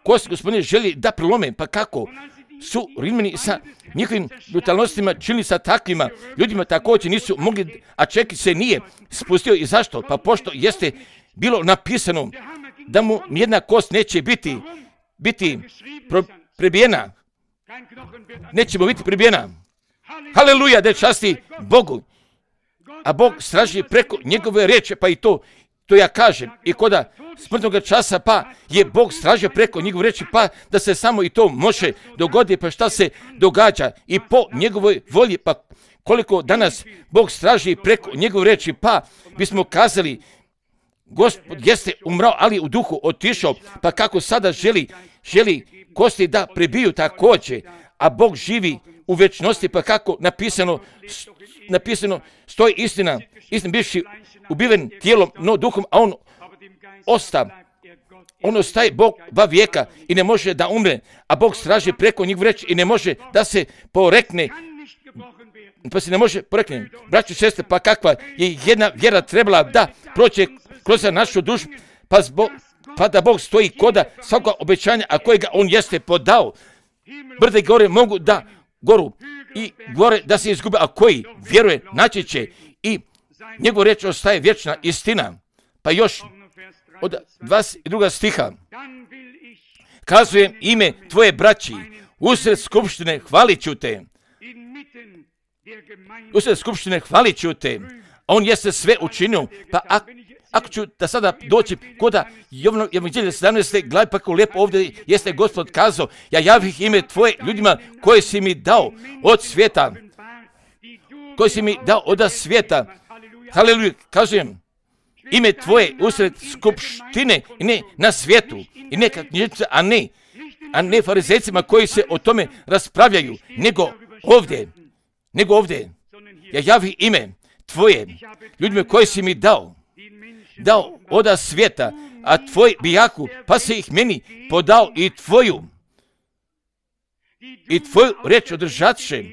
kosti gospodine želi da prelome, pa kako su Rimljani sa njihovim brutalnostima činili sa takvima ljudima, također nisu mogli, a čeki se nije spustio. I zašto? Pa pošto jeste bilo napisano da mu jedna kost neće biti. biti pro, prebijena. Nećemo biti prebijena. Haleluja, da časti Bogu. A Bog straži preko njegove riječi, pa i to, to ja kažem. I koda smrtnog časa, pa je Bog stražio preko njegove riječi, pa da se samo i to može dogoditi, pa šta se događa. I po njegovoj volji, pa koliko danas Bog straži preko njegove riječi, pa bismo kazali, Gospod jeste umrao, ali u duhu otišao, pa kako sada želi, želi kosti da prebiju također, a Bog živi u večnosti, pa kako napisano, napisano stoji istina, istina bivši ubiven tijelom, no duhom, a on osta, on ostaje Bog dva vijeka i ne može da umre, a Bog straži preko njegov reći i ne može da se porekne, pa se ne može porekne. Braćo i sestre, pa kakva je jedna vjera trebala da prođe kroz našu dušu, pa, zbog, pa da Bog stoji koda svakog obećanja, a kojega on jeste podao. Brde gore mogu da goru i gore da se izgube, a koji vjeruje naći će i njegov reč ostaje vječna istina. Pa još od dvadeset drugog stiha kazujem ime tvoje braći, usred skupštine hvalit ću te. Usred skupštine hvalit ću te. On jeste sve učinio, pa ako Ako ću da sada doći koda Jovanov evanđelje sedamnaeste glavi, pa kako lijepo ovdje jeste Gospod kazao, ja javih ime tvoje ljudima koje si mi dao od svijeta, koje si mi dao od svijeta. Haleluja, kažem, ime tvoje usred skupštine i ne na svijetu, i ne kao knjižnice, a ne, a ne farizejcima koji se o tome raspravljaju, nego ovdje, nego ovdje, ja javih ime tvoje ljudima koje si mi dao, dao oda svijeta, a tvoj bijaku, pa se ih meni podao i tvoju, i tvoju reč održatše.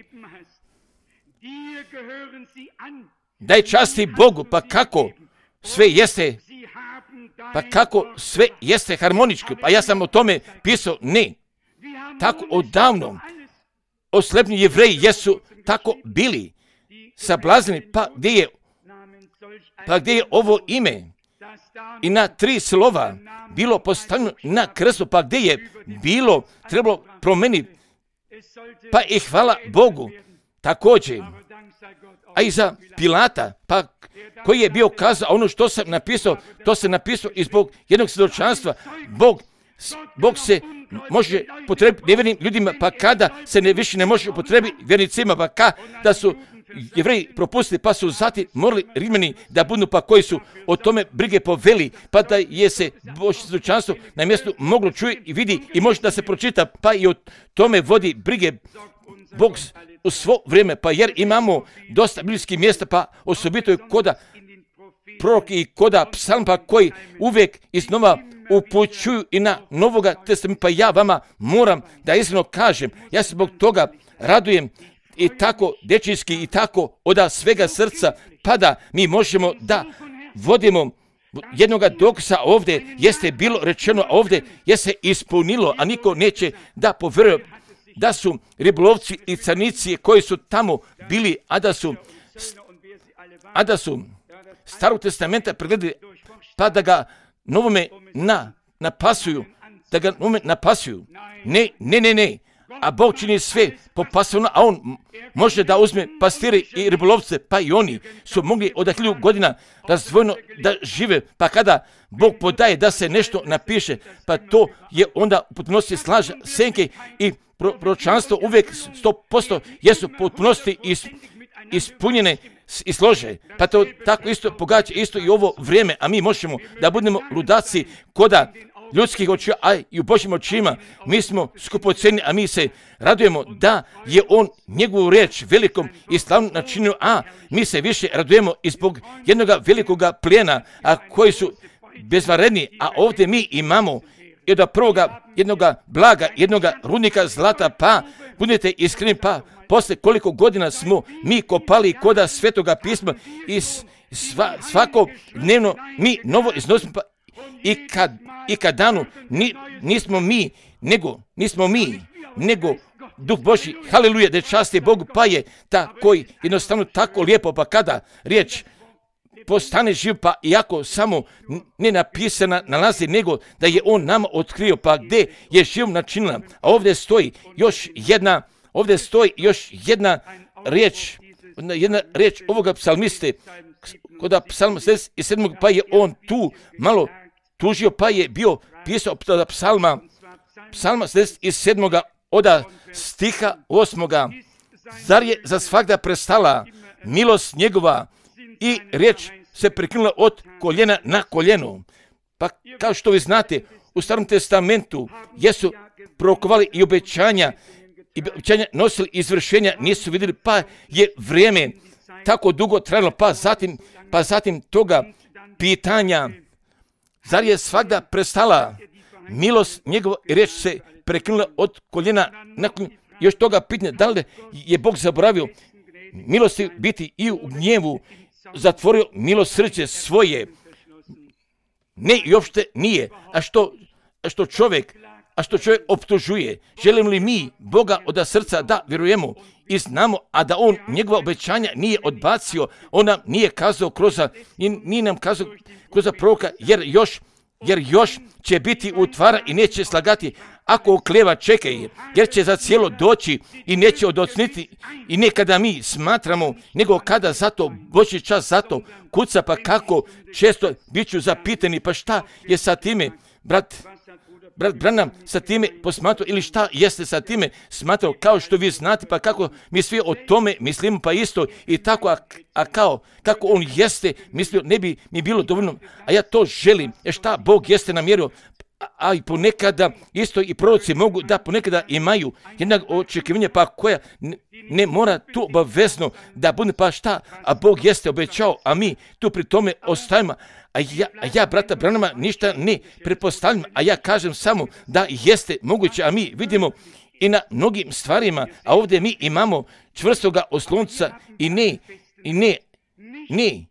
Daj časti Bogu, pa kako sve jeste, pa kako sve jeste harmoničko, pa ja sam o tome pisao, ne, tako odavno, oslepni Jevreji jesu tako bili sablazni, pa gdje je, pa gdje je ovo ime i na tri slova bilo postavljeno na krstu, pa gdje je bilo trebalo promeniti, pa i hvala Bogu također, a i za Pilata, pa koji je bio kazao, ono što sam napisao, to se napisao i zbog jednog svjedočanstva. Bog, Bog se može potrebiti nevjernim ljudima, pa kada se ne, više ne može upotrebiti vjernicima, pa kada su Jevreji propustili, pa su zatim morali Rimljani da budu, pa koji su o tome brige poveli, pa da je se Božje svjedočanstvo na mjestu moglo čuje i vidi i može da se pročita, pa i o tome vodi brige Bog u svo vrijeme, pa jer imamo dosta biblijskih mjesta, pa osobito je koda proroki i koda psalm, pa koji uvijek iznova upućuju i na Novoga testamenta, pa ja vama moram da iskreno kažem, ja se zbog toga radujem i tako dečijski i tako od svega srca, pa da mi možemo da vodimo jednoga dokaza ovdje, jeste bilo rečeno, a ovdje je se ispunilo, a niko neće da povjeruje da su ribolovci i carnici koji su tamo bili, a da su, a da su Starog testamenta pregledali, pa da ga novome na, napasuju, da ga novome napasuju. Ne, ne, ne, ne. A Bog čini sve po pasivno, a on može da uzme pastire i ribolovce, pa i oni su mogli od hiljadu godina razdvojeno da žive, pa kada Bog podaje da se nešto napiše, pa to je onda u potpunosti slaža senke i pro, proročanstvo uvijek sto posto jesu potpunosti is, ispunjene i slože. Pa to tako isto pogađa isto i ovo vrijeme, a mi možemo da budemo ludaci koda ljudskih očiju, a i u Božjim očima mi smo skupocjeni, a mi se radujemo da je on njegovu riječ velikom i slavnom načinio, a mi se više radujemo i zbog jednog velikoga plijena, a koji su bezvaredni, a ovdje mi imamo i od prvoga jednoga blaga, jednoga rudnika zlata, pa budete iskreni, pa posle koliko godina smo mi kopali koda Svetoga pisma i sva, svako dnevno mi novo iznosimo, pa i kad, i kad danu ni, nismo mi, nego, nismo mi, nego Duh Božji, haleluja, da časti Bogu, pa je ta koji jednostavno tako lijepo, pa kada riječ postane živ, pa iako samo ne napisana nalazi, nego da je on nama otkrio, pa gdje je živ načinila. A ovdje stoji još jedna, ovdje stoji još jedna riječ, jedna riječ ovoga psalmiste, kod psalma šezdeset sedam, pa je on tu malo tužio, pa je bio pisao od psalma, psalma šezdeset sedam od stiha osmoga. Zar je za svagda prestala milost njegova i riječ se prekinula od koljena na koljeno. Pa kao što vi znate, u Starom testamentu jesu prorokovali i obećanja, i obećanja nosili izvršenja, nisu vidjeli, pa je vrijeme tako dugo trajalo, pa zatim, pa zatim toga pitanja, zar je svagda prestala milost njegova i riječ se prekinula od koljena na koljeno. Još toga pitanja, da li je Bog zaboravio milosti biti i u gnjevu, zatvorio milosrđe svoje? Ne, i uopšte nije. A što, a što čovjek, a što čovjek optužuje? Želimo li mi Boga od srca da vjerujemo i znamo, a da on njegova obećanja nije odbacio, on nam nije kazao kroz, nije nam kazao kroz proroka, jer još, jer još će biti utvara i neće slagati. Ako okleva, čekaj, jer će za cijelo doći i neće odocniti. I ne kada mi smatramo, nego kada zato Božji čas zato kuca, pa kako često bit ću zapitani, pa šta je sa time, brat, brat Branham sa time posmatrao, ili šta jeste sa time smatrao, kao što vi znate, pa kako mi svi o tome mislimo, pa isto i tako, a, a kao, kako on jeste mislio, ne bi mi bilo dovoljno, a ja to želim, jer šta Bog jeste namjerio. A i ponekada isto i proroci mogu da ponekada imaju jednog očekivanja, pa koja ne, ne mora tu obavezno da bude, pa šta, a Bog jeste obećao, a mi tu pri tome ostajemo. A ja, a ja brata Branhama ništa ne pretpostavljam, a ja kažem samo da jeste moguće, a mi vidimo i na mnogim stvarima, a ovdje mi imamo čvrstoga oslonca i ne, i ne, ne,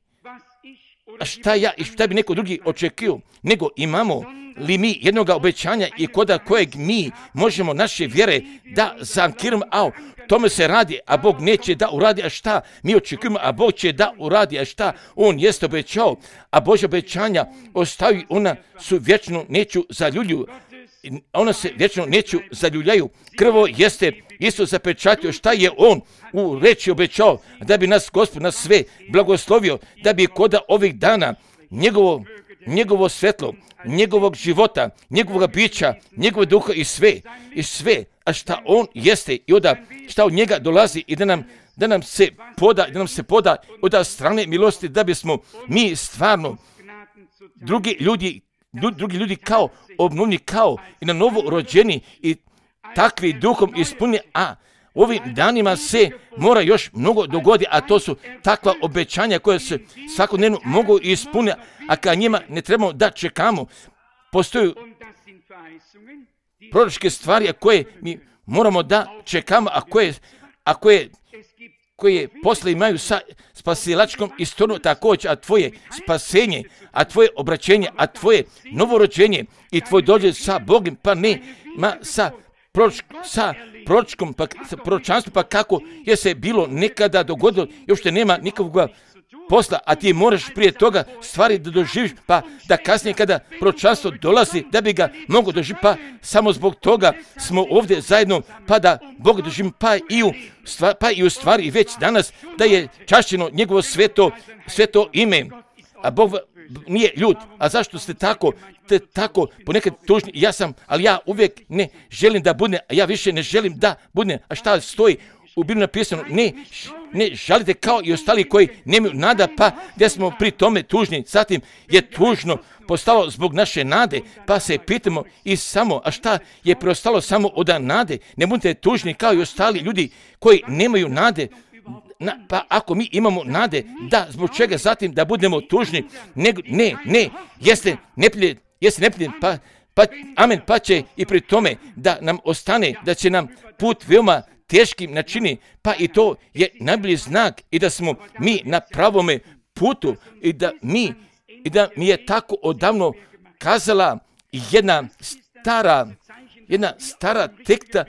a šta ja i šta bi neko drugi očekio, nego imamo li mi jednog obećanja i koda kojeg mi možemo naše vjere da zankiramo, a tome se radi, a Bog neće da uradi, a šta mi očekujemo, a Bog će da uradi, a šta on jeste obećao, a Božja obećanja ostaju, ona su vječno neću zaljuljuju, ona se vječno neću zaljuljaju. Krvo jeste isto zapečatio, šta je on u reči obećao, da bi nas Gospod nas sve blagoslovio, da bi koda ovih dana njegovo, njegovo svetlo, njegovog života, njegovog bića, njegovog duha i sve, i sve, a šta on jeste i onda šta od njega dolazi i da nam, da nam se poda, da nam se poda od strane milosti, da bismo mi stvarno drugi ljudi, drugi ljudi kao obnovni, kao i na novo rođeni i takvi duhom ispunjeni, a ovim danima se mora još mnogo dogoditi, a to su takva obećanja koje se svakodnevno mogu ispuniti, a kad njima ne trebamo da čekamo. Postoje proročke stvari koje mi moramo da čekamo, a koje, a koje, koje posle imaju sa spasilačkom istorijom također, a tvoje spasenje, a tvoje obraćenje, a tvoje novorođenje i tvoj dođe sa Bogom, pa ne ma sa Proč, sa proročkom, pa, sa proročanstvom, pa kako je se bilo nekada dogodilo, još te nema nikakvog posla, a ti moraš prije toga stvari da doživiš, pa da kasnije kada proročanstvo dolazi, da bi ga mogo doživjeti, pa samo zbog toga smo ovdje zajedno, pa da Bog doživimo, pa i u stvari, pa i u stvari već danas da je čašćeno njegovo sveto, sveto ime, a Bog nije ljud. A zašto ste tako, te tako ponekad tužni? Ja sam, ali ja uvijek ne želim da budem, a ja više ne želim da budem. A šta stoji u Bibliji napisano? Ne, ne žalite kao i ostali koji nemaju nada, pa gdje smo pri tome tužni. Zatim je tužno postalo zbog naše nade, pa se pitamo i samo, a šta je preostalo samo od nade? Ne budete tužni kao i ostali ljudi koji nemaju nade. Na, pa ako mi imamo nade, da zbog čega zatim da budemo tužni, ne, ne, ne, jeste neplje, jeste neplje, pa, pa, amen, pa će i pri tome da nam ostane, da će nam put veoma teškim načini, pa i to je najbolji znak i da smo mi na pravome putu i da mi, i da mi je tako odavno kazala jedna stara, jedna stara tekta,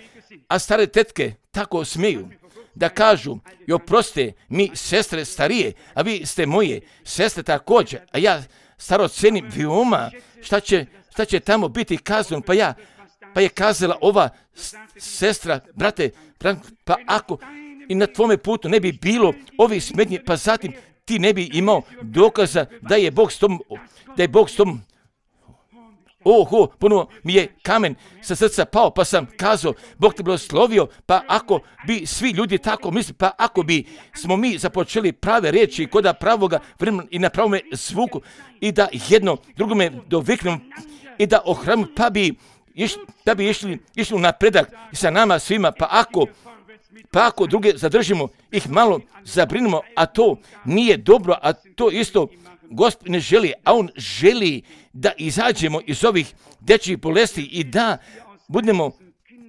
a stare tetke tako smeju. da kažu i oprostite mi sestre starije, a vi ste moje sestre također, a ja staro cenim veoma šta će, šta će tamo biti kazano, pa ja, pa je kazala ova sestra, brate, pa ako i na tvome putu ne bi bilo ovih smetnji, pa zatim ti ne bi imao dokaza da je Bog s tom, da je Bog s tom. Oho, ponovo mi je kamen sa srca pao, pa sam kazao, Bog te blagoslovio, pa ako bi svi ljudi tako mislili, pa ako bi smo mi započeli prave riječi kod pravoga vremena i na pravome zvuku i da jedno drugome doviknemo i da ohranimo, pa bi iš, da bi išli, išli u napredak sa nama svima, pa ako Pa ako druge zadržimo, ih malo zabrinemo, a to nije dobro, a to isto Gospod ne želi, a On želi da izađemo iz ovih dečjih bolesti i da budemo,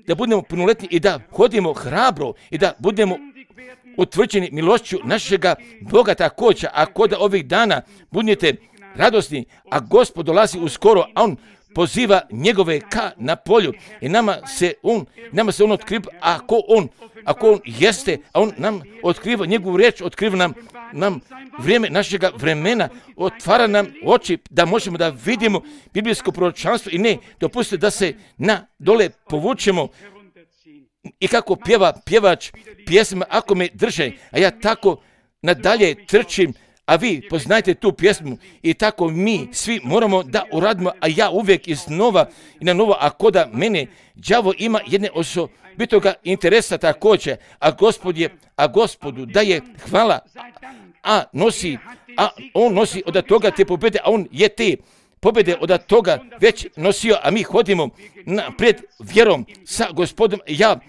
da budemo punoletni i da hodimo hrabro i da budemo utvrđeni milošću našega Boga također. A kod ovih dana budete radosni, a Gospod dolazi uskoro, a On poziva njegove ka na polju i nama se on, nama se on otkriva, ako on, ako on jeste, a on nam otkriva njegovu riječ, otkriva nam, nam vrijeme našega vremena, otvara nam oči da možemo da vidimo biblijsko proročanstvo i ne dopustite da se na dole povučemo i kako pjeva pjevač pjesma, ako me drže, a ja tako nadalje trčim, a vi poznajte tu pjesmu i tako mi svi moramo da uradimo, a ja uvijek iznova i na novo, a koda mene đavo ima jedne osobitoga interesa također, a Gospod je, a Gospodu daje hvala, a nosi, a on nosi od toga te pobjede, a on je te pobjede od toga već nosio, a mi hodimo naprijed vjerom sa Gospodom. Ja,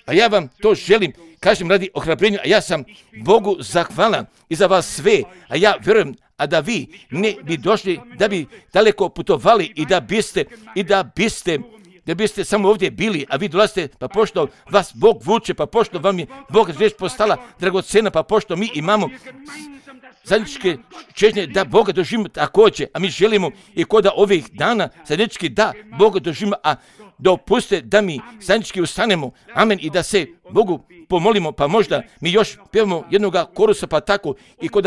a ja vam to želim, kažem radi ohrabrenja, a ja sam Bogu zahvalan i za vas sve, a ja vjerujem, a da vi ne bi došli, da bi daleko putovali i da biste, i da biste, da biste samo ovdje bili, a vi dolazite, pa pošto vas Bog vuče, pa pošto vam je Bog riječ postala dragocena, pa pošto mi imamo zajedničke čežnje da Boga doživimo također, a mi želimo i kod ovih dana zajednički da Boga doživimo, a dopuste da mi zajednički ustanemo, amen, i da se Bogu pomolimo, pa možda mi još pjevamo jednoga korusa, pa tako i kod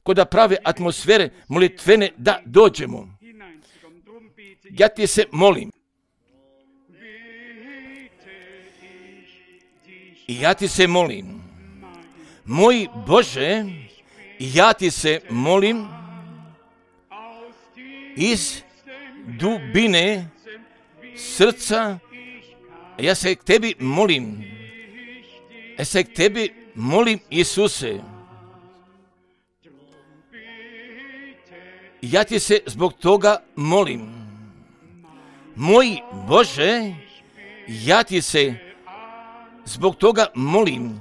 kod prave atmosfere molitvene da dođemo. Ja ti se molim. I ja ti se molim. Moj Bože, ja ti se molim iz dubine srca, ja se k tebi molim. Ja se k tebi molim, Isuse. Ja ti se zbog toga molim. Moj Bože, ja ti se zbog toga molim.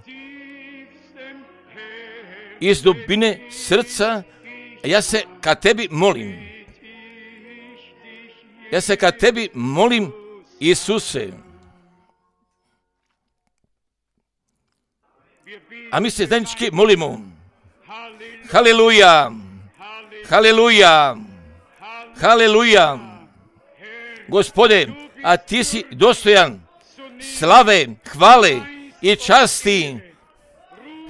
Iz dubine srca, ja se ka tebi molim. Ja se ka tebi molim, Isuse. A mi se zajednički molimo. Haleluja. Haleluja. Haleluja. Gospode, a ti si dostojan slave, hvale i časti,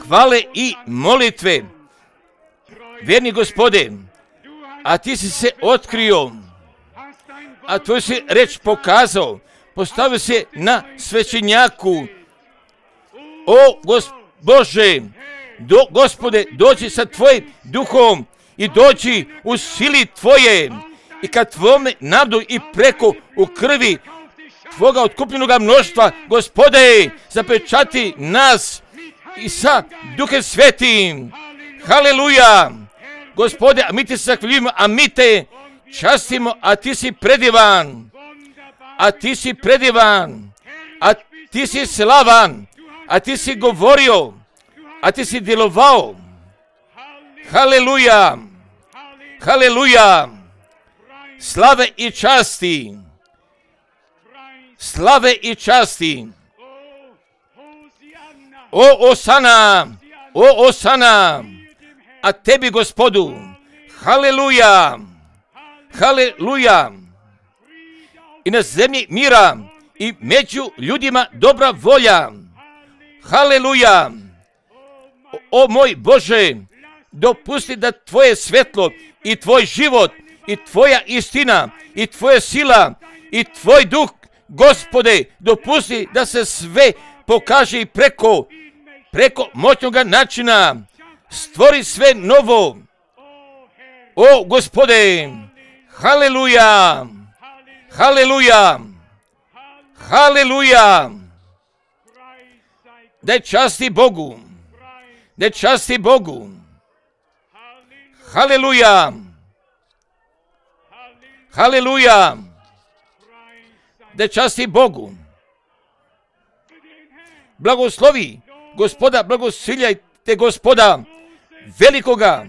hvale i molitve. Vjerni Gospode, a ti si se otkrio, a tvoj si reč pokazao, postavio se na svećenjaku. O Gos- Bože, do, Gospode, dođi sa tvojim duhom i dođi u sili tvoje i kad tvome nadu i preko u krvi tvoga otkupljenoga mnoštva, Gospode, zapečati nas i sa Duhem Svetim. Haleluja. Gospode, a mi ti se zahvaljujemo, a mi te častimo, a ti si predivan, a ti si predivan, a ti si slavan, a ti si govorio, a ti si djelovao. Haleluja. Haleluja. Slave i časti. Slave i časti. O Osana, o Osana, a tebi Gospodu. Haleluja. Haleluja. I na zemlji mira i među ljudima dobra volja. Haleluja! O, o moj Bože, dopusti da tvoje svetlo i tvoj život i tvoja istina i tvoja sila i tvoj duh, Gospode, dopusti da se sve pokaže i preko, preko moćnog načina. Stvori sve novo. O, Gospode, haleluja, haleluja, haleluja. Da časti Bogu, da časti Bogu. Haleluja, haleluja. Da časti Bogu. Blagoslovi Gospoda, blagosiljajte Gospoda velikoga.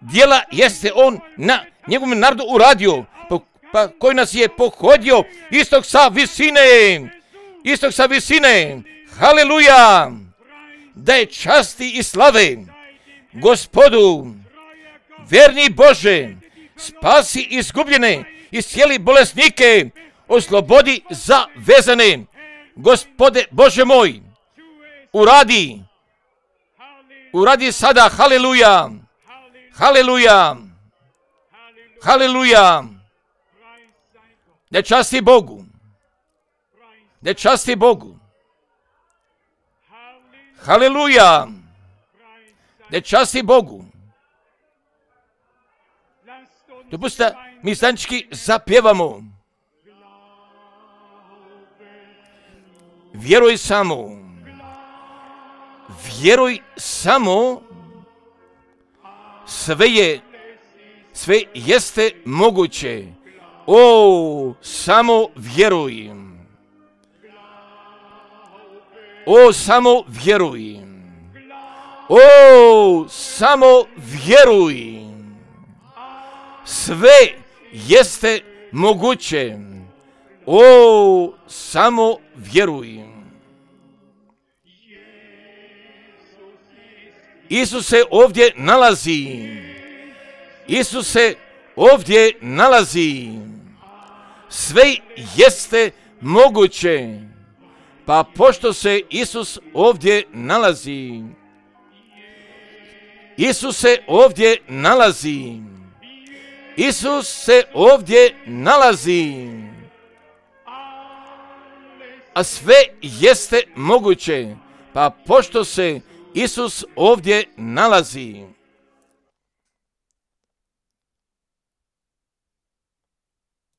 Djela jeste on na njegovom narodu uradio, pa, pa koji nas je pohodio istog sa visine, istog sa visine. Haleluja! Da je časti i slave Gospodu. Verni Bože, spasi izgubljene, iscijeli bolesnike, oslobodi zavezane. Gospode Bože moj, uradi, uradi sada, haleluja, haleluja, haleluja. Da časti Bogu, da časti Bogu, haleluja, da časti Bogu. Dopustite da mi stanički zapjevamo. Vjeruj samo, vjeruj samo, sve je, sve jeste moguće. O, samo vjeruj. O, samo vjeruj. O, samo vjeruj. Sve jeste moguće. O, samo vjeruj. Isus se ovdje nalazi. Isus se ovdje nalazi. Sve jeste moguće. Pa pošto se Isus ovdje nalazi, Isus se ovdje nalazi. Isus se ovdje nalazi. A sve jeste moguće, pa pošto se Isus ovdje nalazi.